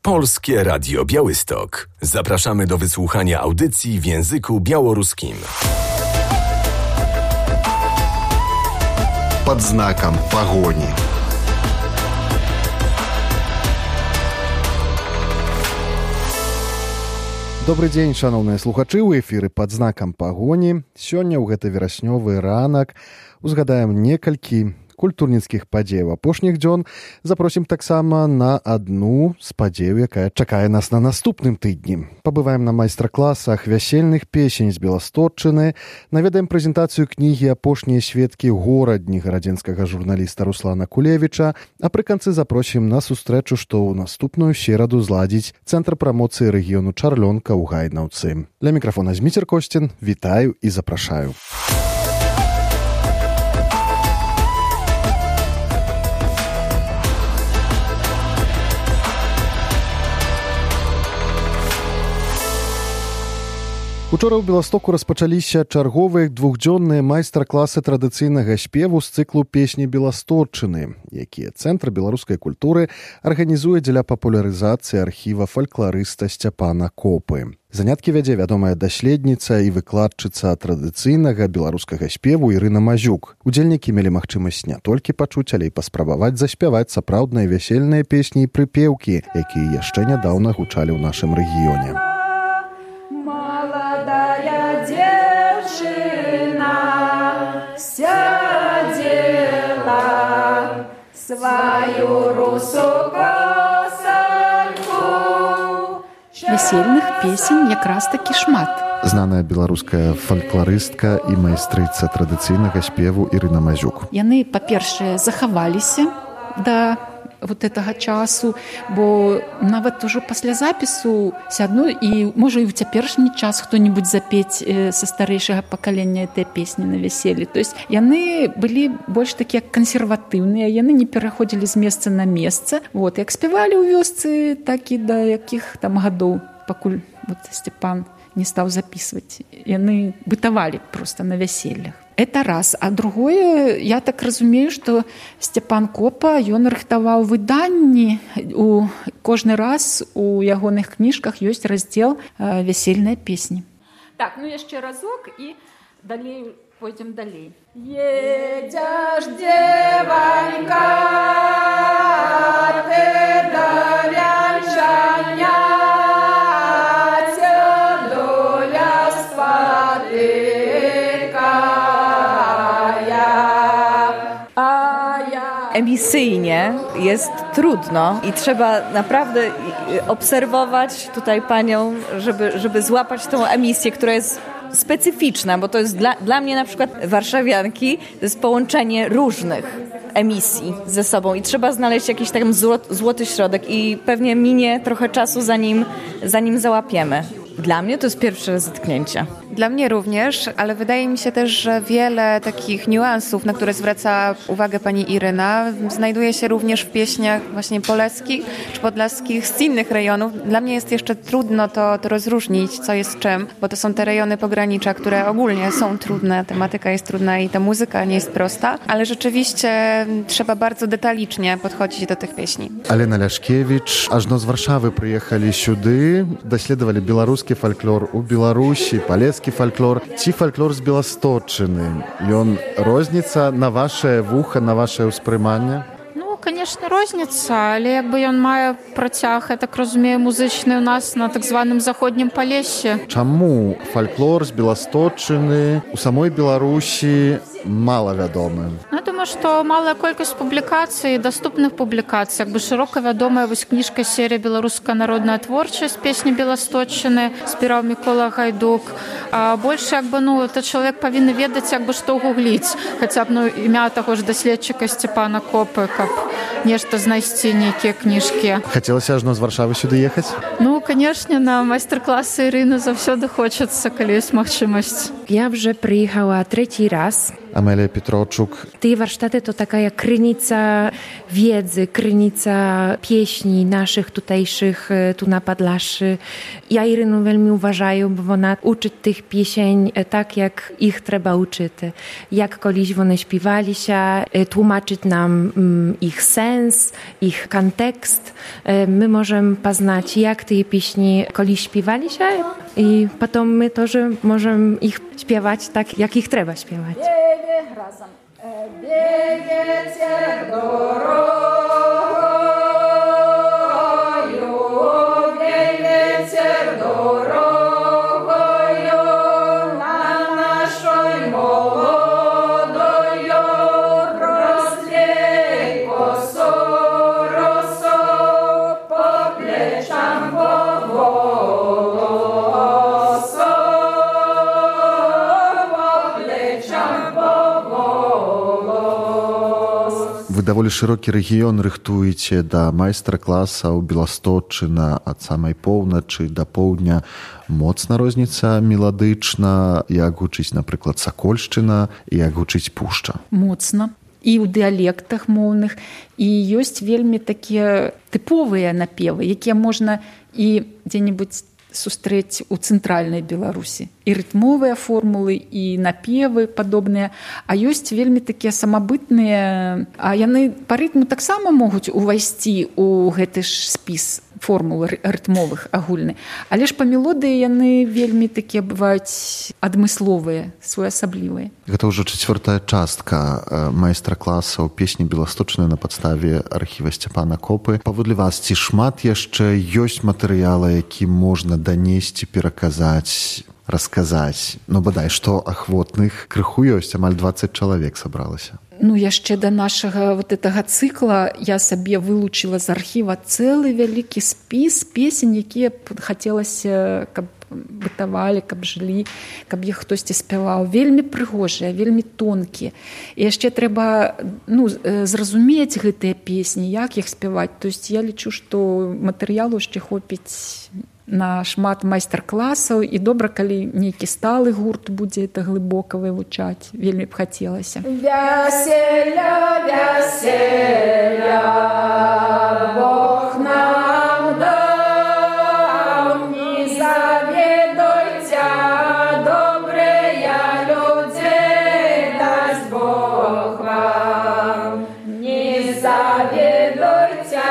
Polskie Radio Białystok. Zapraszamy do wysłuchania audycji w języku białoruskim. Под знаком погони. Добры дзень, шаноўныя слухачы, у эфіры «Пад знакам пагоні». Сёння ў гэты вераснёвы ранак узгадаем некалькі культурніцкіх падзеяў апошніх дзён. Запросім таксама на адну з падзеяў, якая чакае нас на наступным тыдні. Пабываем на майстар-класах вясельных песень з Беластотчыны, наведаем прэзентацыю кнігі «Апошнія сведкі горадні» гарадзенскага журналіста Руслана Кулевіча, а пры канцы запросім на сустрэчу, што ў наступную сераду зладзіць Цэнтр прамоцыі рэгіёну Чарлёнка ў Гайнаўцы. Для мікрафона Зміцер Косцін, вітаю і запрашаю. Учора ў Беластоку распачаліся чарговыя двухдзённыя майстар-класы традыцыйнага спеву з цыклу «Песні Беластотчыны», якія Цэнтр беларускай культуры арганізуе дзеля папулярызацыі архіва фалькларыста Сцяпана Копы. Заняткі вядзе вядомая даследніца і выкладчыца традыцыйнага беларускага спеву Ірына Мазюк. Удзельнікі мелі магчымасць не толькі пачуць, але і паспрабаваць заспяваць сапраўдныя вясельныя песні і прыпеўкі, якія яшчэ нядаўна гучалі ў нашым рэгіёне. Сядела свою русу косанку. Весельных песень якраз такі шмат. Знаная беларуская фалькларыстка і майстрыца традыцыйнага спеву Ірына Мазюк. Яны, па-першае, захаваліся да вот этого часу, бо нават ужо пасля запісу сядну і можа і ў цяперашні час хто-небудзь запець са старэйшага пакалення этой песні на вяселлі. То есть яны былі больш такія кансерватыўныя, яны не пераходзілі з месца на месца. Вот, як спявалі ў вёсцы, так і да якіх там гадоў, пакуль вот Сцяпан не стаў запісваць. Яны бытавалі проста на вяселлях. Это раз. А другое, я так разумею, што Сцяпан Копа, ён рыхтаваў выданні. Кожны раз у ягоных кніжках ёсць раздзел «Вясельныя песні». Так, ну яшчэ разок і далей пойдзем далей. Едзяш, дзеванька, ты да вянчання, цёдуля спады. Emisyjnie jest trudno i trzeba naprawdę obserwować tutaj panią, żeby złapać tą emisję, która jest specyficzna, bo to jest dla mnie na przykład warszawianki, to jest połączenie różnych emisji ze sobą i trzeba znaleźć jakiś tam złoty środek i pewnie minie trochę czasu zanim załapiemy. Dla mnie to jest pierwsze zetknięcie. Dla mnie również, ale wydaje mi się też, że wiele takich niuansów, na które zwraca uwagę pani Iryna, znajduje się również w pieśniach właśnie poleckich czy podlaskich z innych rejonów. Dla mnie jest jeszcze trudno to rozróżnić, co jest czym, bo to są te rejony pogranicza, które ogólnie są trudne, tematyka jest trudna i ta muzyka nie jest prosta, ale rzeczywiście trzeba bardzo detalicznie podchodzić do tych pieśni. Алена Ляшкевіч ажно з Варшавы прыехалі сюды, даследавалі беларускі фальклор у Беларусі, палескі фальклор ці фальклор з Беластотчыны. Ён розніца на ваше вуха, на ваше ўспрыманне? Ну, конечно, розніца, але ён мае працяг, я так разумею, музычны у нас на так званым заходнім Палессі. Чаму фальклор з Беластотчыны у самой Беларусі малавядомы? Я думаю, што малая колькасць публікацый, даступных публікацый, шырока вядомая вось кніжка серія «Беларуская народная творчасць», песні Беластотчыны, спіраў Мікола Гайдук. А больш то чалавек павінны ведаць, што гугліць, хаця б імя таго ж даследчыка Сцяпана Копы, каб нешта знайсці, нейкія кніжкі. Хацелася ажно з Варшавы сюды ехаць? Ну, конечно, на майстар-классы Ірыны заўсёды хочацца, калі ёсць магчымасць. Ja вже приїхала третій раз. Amelia Pietroczuk. Te warsztaty to taka krynica wiedzy, krynica pieśni naszych tutejszych tu na Podlaszy. Ja Irynu veľmi uważаю, bo ona uczy tych piesień tak, jak ich trzeba uczyć. Jak koliś one śpiewali się, tłumaczyć nam ich sens, ich kontekst. My możemy poznać, jak te pieśni koliś śpiewali się i potem my też możemy ich śpiewać tak, jak ich trzeba śpiewać. Razem. Biegniecie drogą. Вы даволі шырокі рэгіён рыхтуеце да майстар-класаў Беласточчына ад самай поўначы да поўдня. Моцна розніца меладычна, як гучыць, напрыклад, Сакольшчына, і як гучыць Пушча. Моцна. І ў дыялектах моўных. І ёсць вельмі такія тыповыя напевы, якія можна і дзе-небудзь сустрэць у цэнтральнай Беларусі. І рытмовыя формулы, і напевы падобныя. А ёсць вельмі такія самабытныя, а яны па рытму таксама могуць увайсці ў гэты ж спіс формул рытмовых агульны. Але ж па мелодыі яны вельмі такія бываюць адмысловыя, своеасаблівыя. Гэта ўжо чацвёртая частка майстар-класаў песні Беласточчыны на падставе архіва Сцяпана Копы. Паводле вас, ці шмат яшчэ ёсць матэрыяла, які можна данесці, пераказаць, расказаць? Ну, бадай, што ахвотных крыху ёсць, амаль 20 чалавек сабралася. Ну, яшчэ да нашага вот гэтага цыкла я сабе вылучыла з архіва цэлы вялікі спіс песень, якія хацелася, каб бытавалі, каб жылі, каб іх хтосьці спяваў. Вельмі прыгожыя, вельмі тонкія. І яшчэ трэба зразумець гэтыя песні, як іх спяваць. То есть я лічу, што матэрыялу яшчэ хопіць на шмат майстар-класаў, і добра, калі нейкі сталы гурт будзе это глыбока вывучаць. Вельмі б хацелася. Вяселя, вяселя, Бог нам даў, не заведуйте, добрыя людзей, дасць Бог вам. Не заведуйте,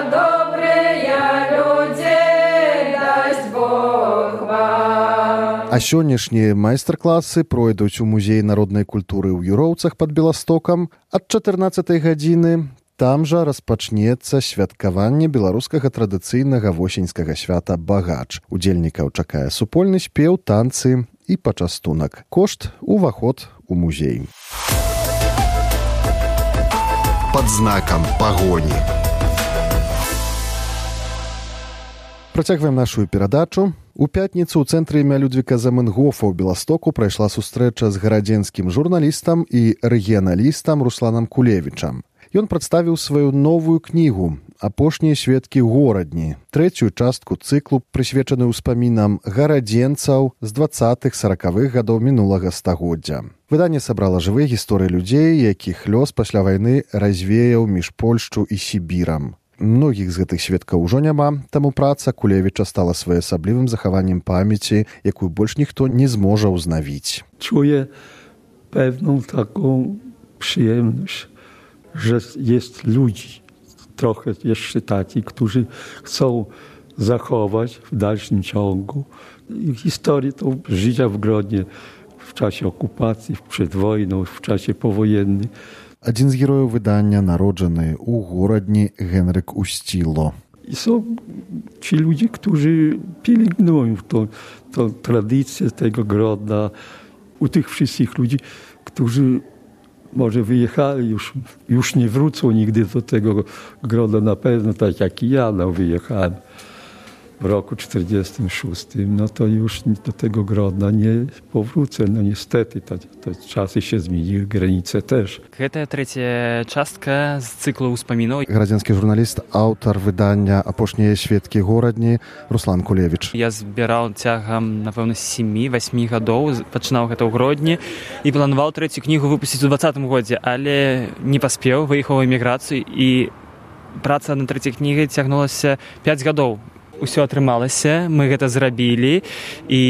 добрыя людзей, дасць Бог вам. А сённяшнія майстар-класы пройдуць у музеі народнай культуры ў Юроўцах пад Беластокам ад 14 гадзіны. Там жа распачнецца святкаванне беларускага традыцыйнага восеньскага свята Багач. Удзельнікаў чакае супольны спеў, танцы і пачастунак. Кошт — уваход у музей. Пад знакам пагоні. Працягваем нашу перадачу. У пятніцу ў цэнтры імя Людвіка Заменгофа ў Беластоку прайшла сустрэча з гарадзенскім журналістам і рэгіяналістам Русланам Кулевічам. Ён прадставіў сваю новую кнігу «Апошнія сведкі горадні», трэцюю частку цыклу, прысвечаную ўспамінам гарадзенцаў з 20-40-х гадоў мінулага стагоддзя. Выданне сабрала жывыя гісторыі людзей, якіх лёс пасля вайны развеяў між Польшчу і Сібірам. Многіх з гэтых сведкаў ужо няма, таму праца Кулевіча стала своеасаблівым захаваннем памяці, якую больш ніхто не зможа ўзнавіць. Czuję pewną taką przyjemność, że jest ludzi, trochę jeszcze takich, którzy chcą zachować w dalszym ciągu historię tą życia w Grodnie w czasie okupacji, przed wojną, w czasie powojennym. Адзін з герояў выдання народжаны ў горадні Генрык Устіло. I są ci ludzie, którzy pielęgnują tą tradycję tego Grodna. U tych wszystkich ludzi, którzy może wyjechali, już nie wrócą nigdy do tego Grodna na pewno, tak jak i ja wyjechałem. w roku 1946, no to już do tego Grodna nie powrócę. No niestety, te czasy się zmieniły, granice też. Гэта трэцяя частка з цыклу ўспамінаў. Градзянскі журналіст, аўтар выдання «Апошнія сведкі горадні» Руслан Кулевіч. Я збіраў цягам, напэўна, 7-8 гадоў, пачынаў гэта ў Гродні і планаваў трэцюю кнігу выпусціць у 2020 годзе, але не паспеў, выехаў у эміграцыю і праца над трэцяй кнігай цягнулася 5 гадоў. Усё атрымалася, мы гэта зрабілі, і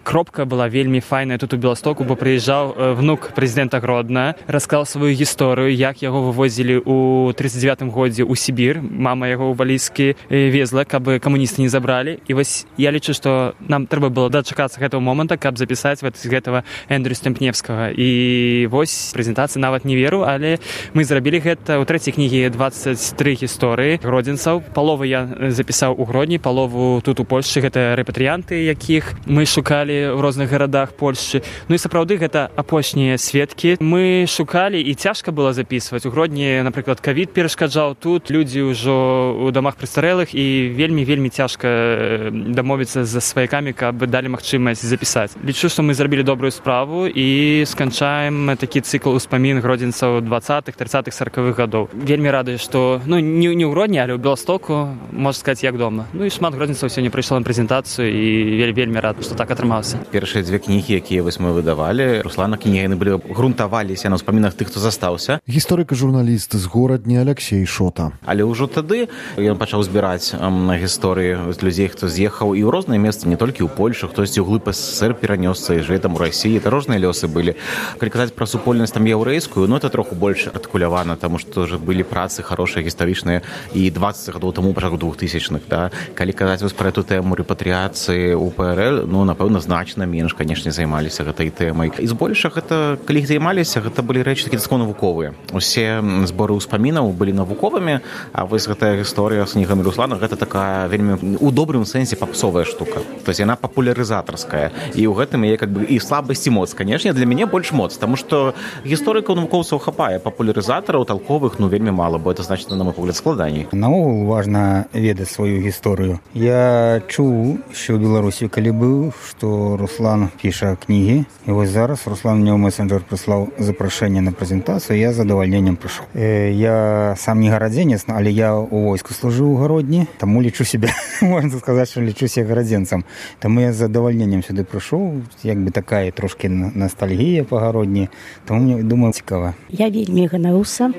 кропка была вельмі файная тут у Беластоку, бо прыязджаў внук прэзідэнта Гродна, расказаў сваю гісторыю, як яго вывозілі ў 39 годзе ў Сібір. Мама яго ў валізкі везла, каб камуністы не забралі. І вось я лічу, што нам трэба было дачакацца гэтага моманта, каб запісаць з гэтага Эндрю Стэмпневскага. І вось прэзентацыі нават не веру, але мы зрабілі гэта. У трэцяй кнігі 23 гісторыі гродзенцаў. Палову я запісаў у Гродні, палову тут у Польшчы. Гэта рэпатрыянты, якіх мы шукалі ў розных гарадах Польшчы. Ну і сапраўды гэта апошнія сведкі. Мы шукалі, і цяжка было запісваць. У Гродні, напрыклад, ковід перашкаджаў. Тут людзі ўжо ў дамах прыстарэлых, і вельмі цяжка дамовіцца за сваякамі, каб далі магчымасць запісаць. Лічу, што мы зрабілі добрую справу і сканчаем такі цыкл успамін гродзенцаў 20-х, 30-х, 40-х гадоў. Вельмі рады, што не ў Гродні, але ў Беластоку, можна сказаць, як дома. Ну і шмат гродзенцаў сёння прыйшло на прэзентацыю, і вельмі рад, што так атрымалася. Першыя две кнігі, якія мы выдавалі, Руслана кнігі, яны былі грунтаваліся на ўспамінах тых, хто застаўся. Гісторык і журналіст з горадні Алексей Шота. Але ўжо тады ён пачаў збіраць гісторыі людзей, хто з'ехаў і ў розныя месцы, не толькі ў Польшу, хтосьці ў глыб СССР перанёсся і жыве там у Расіі. Это розныя лёсы былі. Калі казаць пра супольнасць там яўрэйскую, ну это троху больш артыкулявана, таму што ўжо былі працы хорошыя, гістарычныя і 20 гадоў таму, пачатку 2000-х, да. Калі казаць вось пра эту тэму рэпатрыяцыі ў ПРЛ, ну, напэўна, значна менш, канешне, займаліся гэтай тэмай. І збольшага гэта, калі іх займаліся, гэта былі рэчы такія навуковыя. Усе зборы ўспамінаў былі навуковымі, а вось гэтая гісторыя з кнігамі Руслана, гэта такая вельмі у добрым сэнсе папсовая штука. То есть яна папулярызатарская. І ў гэтым яе как бы і слабасць і моц. Канешне, для мяне больш моц, таму што гісторыкаў навукоўцаў хапае, папулярызатараў толковых, ну, вельмі мала, бо это значыць, на мой погляд, складаней. Наогул важна ведаць сваю гісторыю. Я чуў, що ў Беларусі, калі быў, што Руслан піша кнігі, і вось зараз Руслан мне ў месенджер прыслаў запрашэнне на прэзентацыю, я з задавальненнем прыйшоў. Я сам не гарадзенец, але я ў войску служыў у Гродні, таму лічу себе, можна сказаць, што лічу себе гарадзенцам. Таму я з задавальненнем сюды прыйшоў, як бы такая трошкі ностальгія па Гродні, таму мне, думаю, цікава. Я вельмі ганаруся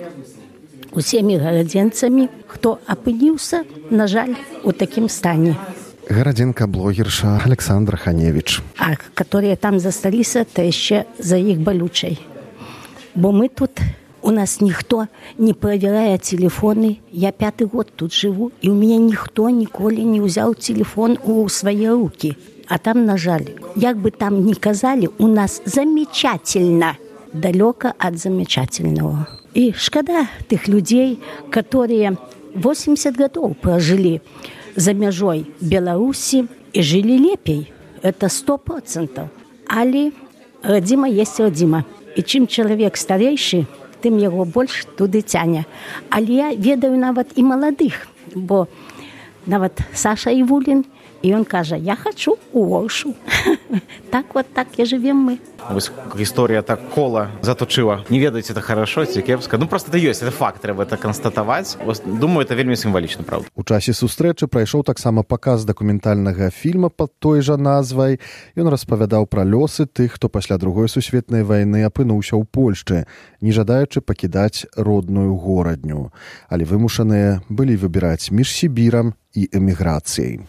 усімі гарадзенцамі, хто апыніўся, на жаль, у такім стане. Гарадзенка-блогерша Александра Ханевич. А которые там засталіся, то яшчэ за іх балючай. Бо мы тут, у нас ніхто не правярае телефоны. Я 5-й год тут жыву, і ў мяне ніхто ніколі не ўзяў телефон у свае рукі. А там, на жаль, як бы там ни казалі, у нас замечательно, далёка ад замечательного. І шкада тых людзей, которые 80 гадоў пражылі за мяжой Беларусі і жылі лепей. Это 100%. Але радзіма есть радзіма. І чым чалавек старэйшы, тым яго больш туды цяне. Але я ведаю нават і маладых, бо нават Саша Івулін, і ён кажа, я хочу у Оршу. Так вот так і жывем мы. Вось гісторыя так кола заточыла. Не ведаеце, это хорошо ці кепска. Ну, просто это ёсць, это факт, трэба это канстатаваць. Думаю, это вельмі сімвалічна, правда. У часе сустрэчы прайшоў таксама паказ дакументальнага фільма пад той жа назвай. Ён распавядаў пра лёсы тых, хто пасля Другой сусветнай вайны апынуўся ў Польшчы, не жадаючы пакідаць родную горадню. Але вымушаныя былі выбіраць між Сібірам і эміграцыяй.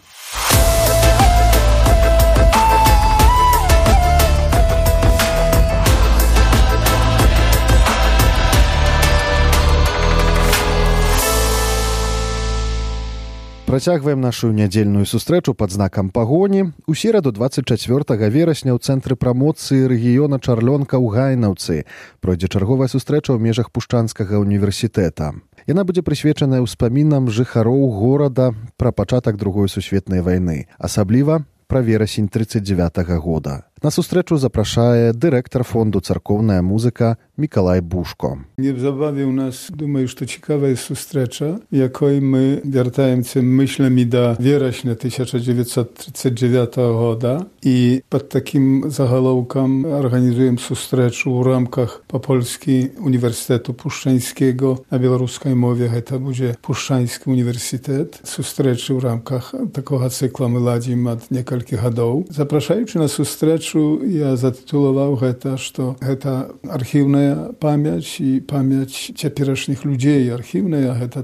Працягваем нашу нядзельную сустрэчу пад знакам пагоні. У сераду 24 верасня ў цэнтры прамоцыі рэгіёна Чарлёнка ў Гайнаўцы пройдзе чарговая сустрэча ў межах Пушчанскага універсітэта. Яна будзе прысвечаная ўспамінам жыхароў горада пра пачатак Другой сусветнай вайны, асабліва пра верасень 39-го года. На сустрэчу запрашае дырэктар фонду «Царкоўная музыка» Мікалай Бушко. Niebzabawił nas, думаю, что ciekawa сустрэча, якой мы вяртаемся myślami до вересня 1939 года и под таким заголовком организуем сустрэчу у рамках Попольski Uniwersytetu Puszczańskiego. Na białoruskiej mowie to będzie Puszczański Uniwersytet. Sustрэчы w рамках такого цикла мы ладим od niektórych годов. Zapraszając na sustрэчу, ja zatytułował to, że to archiwna pamięć i pamięć ciepieresznych ludzi archiwna,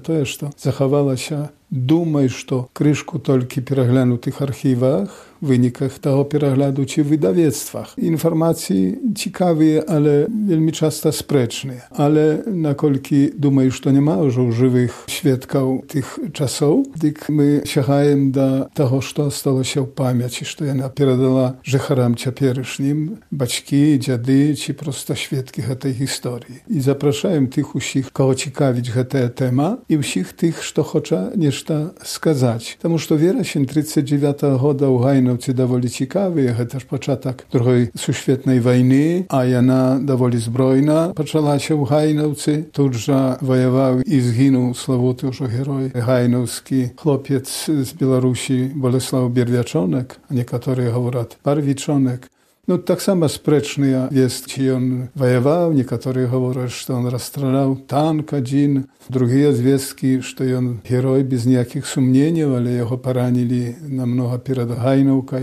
to jest to zachowała się. Думаю, что крышку только переглянутых архивах, wynikach tego перегляду czy wydawnictwach. Informacje ciekawe, ale veľmi często sprzeczne. Ale nakolki думаю, что nie ma już żywych świadków tych czasów, tak my sięgamy do tego, co stało się w pamięci, co ona передала żecharam ciepieresznym, baćki, dziady, czy prosto świadki tej historii. I zapraszam tych wszystkich, kogo ciekawić ta tema i wszystkich tych, kto chce nie сказать. Потому что вересень 39 года у Гайновці доволі цікавий, це ж початок Другої сусвітньої війни, а вона доволі збройна почалася у Гайновці. Тут же воював і згинув славутий вже герой гайновський хлопець з Білорусі Болеслав Бервячонок, а некоторі говорять Барвічонок. No tak samo sprzeczny jest, czy on wojował, niektórzy mówią, że on rozstrzelał tank jeden, drugie związki, że on heroj bez jakich sumnień, ale jego poranili namnogo przed Gajnowką.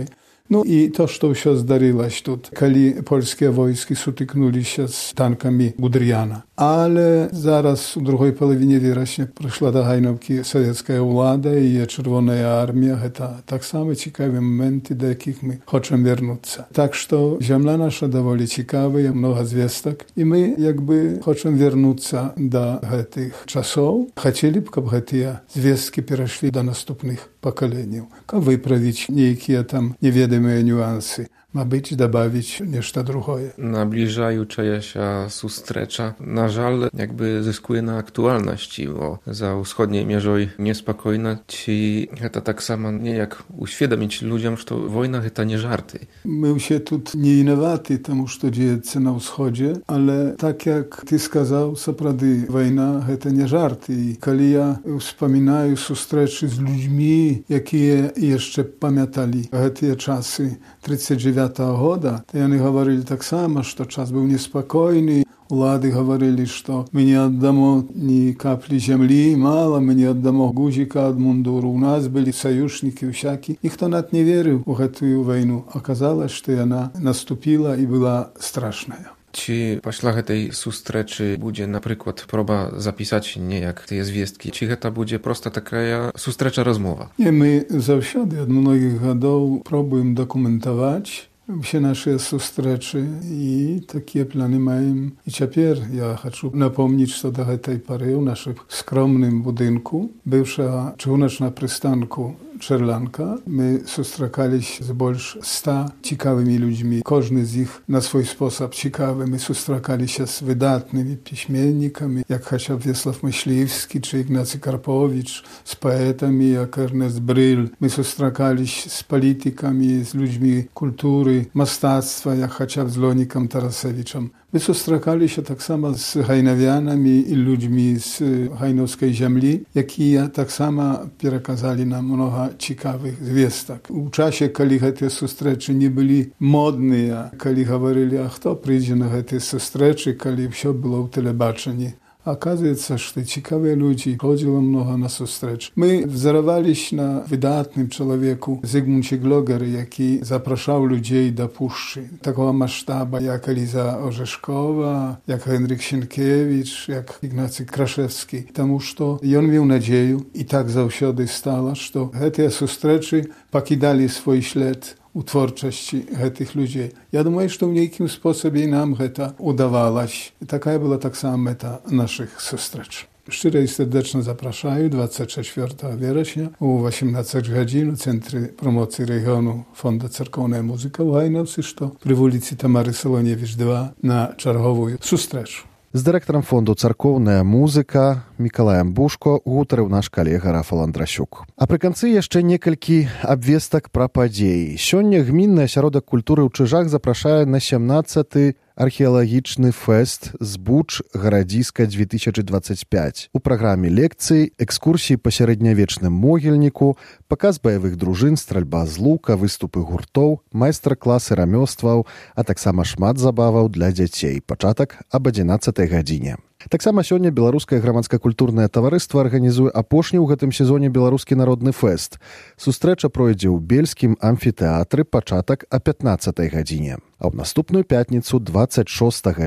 No i to, co się zdarzyło tu, kiedy polskie wojski styknęły się z tankami Guderiana. Ale zaraz w drugiej połowie września przyszła do Gajnowki sowiecka władza i Czerwona Armia. To tak samo ciekawe momenty, do jakich my chcemy wrócić. Tak, że ziemia nasza dowoli ciekawa, mnogo zwiastek i my jakby chcemy wrócić do tych czasów. Chcieliby, żeby te zwiastki przeszły do następnych pokoleń. Żeby wyprawić niejakie tam niewiadome niuansy. Ma być, dobawić nešto drugie. Nabliżajuća się sustrecza, na żal jakby zyskuje na aktualności, bo za wschodniej mierzoj niespokojna, ci to tak samo nie jak uświadomić ludziom, że wojna to nie żarty. My się tu nie innowaty temu, co dzieje się na wschodzie, ale tak jak ty skazał, naprawdę wojna to nie żarty. I kiedy ja wspominaję sustreczy z ludźmi, jakie jeszcze pamiętali te czasy 39 года, то они говорили так само, что час был неспокойный. Улады говорили, что мы не отдамо ни капли земли, мало, мы не отдамо гузика от мундуру. У нас были союзники всякие. Никто над не верил в эту войну. Оказалось, что она наступила и была страшная. Czy pośle tej sustreczy będzie na przykład próba zapisać nie jak te zwiastki, czy to będzie prosta taka sustrecza rozmowa? Nie, my zawsze od mnogich lat próbujemy dokumentować все наши сустрэчы и такие планы маем. И теперь я хочу напомнить, что до этой поры в нашем скромном будинку, бывшего чыгуначного пристанку Czerlanka. My sustrzekaliśmy z больше 100 ciekawymi ludźmi. Każdy z nich na swój sposób ciekawy. My sustrzekaliśmy z wydatnymi piśmiennikami, jak chociaż Wiesław Myśliwski czy Ignacy Karpowicz, z poetami jak Ernest Bryl. My sustrzekaliśmy z politykami, z ludźmi kultury, mastactwa, jak chociaż z Lonikiem Tarasewiczem. My sustrzekali się tak samo z hajnowianami i ludźmi z hajnowskiej ziemi, jak i tak samo przekazali nam mnogo ciekawych zwiastek. W czasie, kiedy te sustreczy nie byli modne, kiedy mówili, a kto przyjdzie na te sustreczy, kiedy wszystko było w telebaczeniu. Оказывается, что ciekawe ludzi chodziło mnogo na sustrecz. My wzorowaliśmy na wydatnym człowieku Zygmuncie Glogery, jaki zapraszał ludzi do puszczy. Takiego masштаба, jak Eliza Orzeszkowa, jak Henryk Sienkiewicz, jak Ignacy Kraszewski. Тому что on miał nadzieję i tak zawsze stało, że te sustreczy покидали swój ślad u twórczości tych ludzi. Ja думаю, что в неким способе нам это удавалось. Такая была так само мета наших встреч. Szczerze i serdecznie zapraszam 24 września o 18 godzin w Centrum Promocji Regionu Fondu Церковная музыка w Гайновці, что при улице Тамары Солоневич 2 na czerwową wstrecz. З дырэктарам фонду «Царкоўная музыка» Мікалаем Бушко гутарыў наш калега Рафал Андрасюк. А пры канцы яшчэ некалькі абвестак пра падзеі. Сёння гмінны асяродак культуры ў Чыжах запрашае на 17-й археалагічны фэст «Збуч гарадзіска 2025». У праграме лекцый, экскурсіі па сярэднявечным могільніку, паказ баявых дружын, стральба з лука, выступы гуртоў, майстар-класы рамёстваў, а таксама шмат забаваў для дзяцей. Пачатак аб 11-й гадзіне. Таксама сёння беларускае грамадска-культурнае таварыства арганізуе апошні ў гэтым сезоне беларускі народны фэст. Сустрэча пройдзе ў бельскім амфітэатры, пачатак о 15-й гадзіне. А ў наступную пятніцу, 26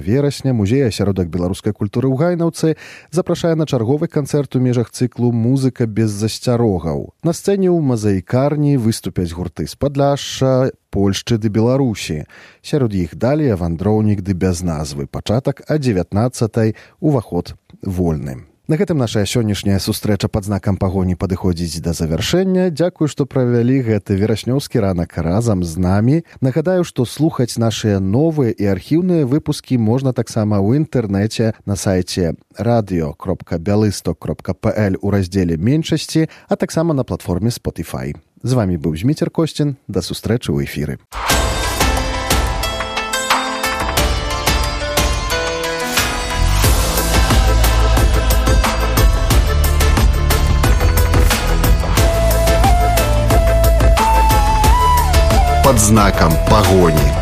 верасня, музей асяродак беларускай культуры ў Гайнаўцы запрашае на чарговы канцэрт у межах цыклу «Музыка без засцярогаў». На сцэне ў мазаікарні выступяць гурты з Падляшша, Польшчы ды Беларусі. Сярод іх далей вандроўнік ды без назвы. Пачатак о 19-й, уваход вольны. На гэтым наша сённяшняя сустрэча пад знакам пагоні падыходзіць да завяршэння. Дзякую, што правялі гэты вераснёўскі ранак разам з намі. Нагадаю, што слухаць нашыя новыя і архіўныя выпускі можна таксама ў інтэрнэце на сайце radio.bialystok.pl у раздзеле «Меншасці», а таксама на платформе Spotify. З вамі быў Зміцер Косцін. Да сустрэчы ў эфіры. Под знаком погони.